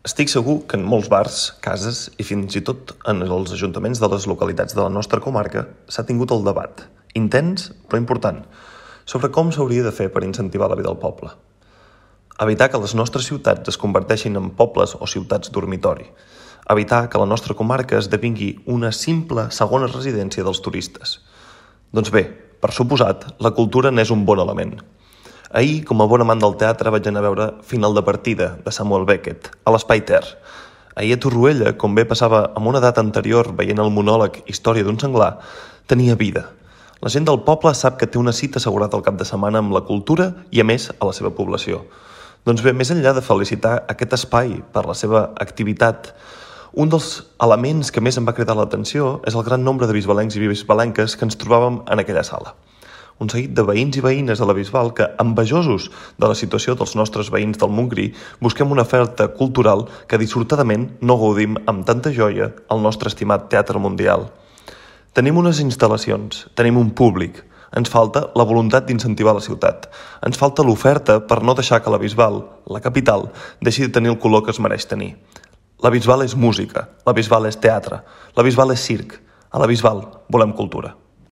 Estic segur que en molts bars, cases i fins i tot en els ajuntaments de les localitats de la nostra comarca s'ha tingut el debat, intens però important, sobre com s'hauria de fer per incentivar la vida al poble. Evitar que les nostres ciutats es converteixin en pobles o ciutats dormitori. Evitar que la nostra comarca esdevingui una simple segona residència dels turistes. Doncs bé, per suposat, la cultura n'és un bon element. Ahir, com a bon amant del teatre, vaig anar a veure Final de partida, de Samuel Beckett, a l'Espai Ter. Ahir a Torroella, com bé passava amb una data anterior veient el monòleg Història d'un senglar, tenia vida. La gent del poble sap que té una cita assegurada al cap de setmana amb la cultura i, a més, a la seva població. Doncs bé, més enllà de felicitar aquest espai per la seva activitat, un dels elements que més em va cridar l'atenció és el gran nombre de bisbalencs i bisbalenques que ens trobàvem en aquella sala. Un seguit de veïns i veïnes de la Bisbal que, envejosos de la situació dels nostres veïns del Montgrí, busquem una oferta cultural que dissortadament no gaudim amb tanta joia al nostre estimat Teatre Mundial. Tenim unes instal·lacions, tenim un públic, ens falta la voluntat d'incentivar la ciutat, ens falta l'oferta per no deixar que la Bisbal, la capital, deixi de tenir el color que es mereix tenir. La Bisbal és música, la Bisbal és teatre, la Bisbal és circ, a la Bisbal volem cultura.